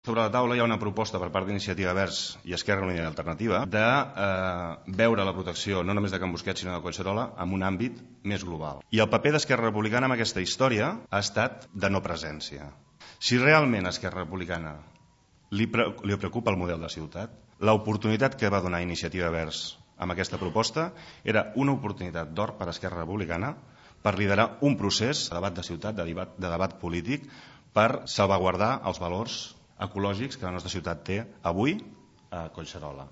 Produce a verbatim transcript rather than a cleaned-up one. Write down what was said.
Sobre la taula hi ha una proposta per part d'Iniciativa Verds i Esquerra Unida i Alternativa de eh, veure la protecció no només de Can Busquets sinó de Collserola en un àmbit més global. I el paper d'Esquerra Republicana en aquesta història ha estat de no presència. Si realment a Esquerra Republicana li, pre li preocupa el model de ciutat, l'oportunitat que va donar Iniciativa Verds amb aquesta proposta era una oportunitat d'or per a Esquerra Republicana per liderar un procés de debat de ciutat, de debat, de debat polític, per salvaguardar els valors ecològics que la nostra ciutat té avui a Collserola.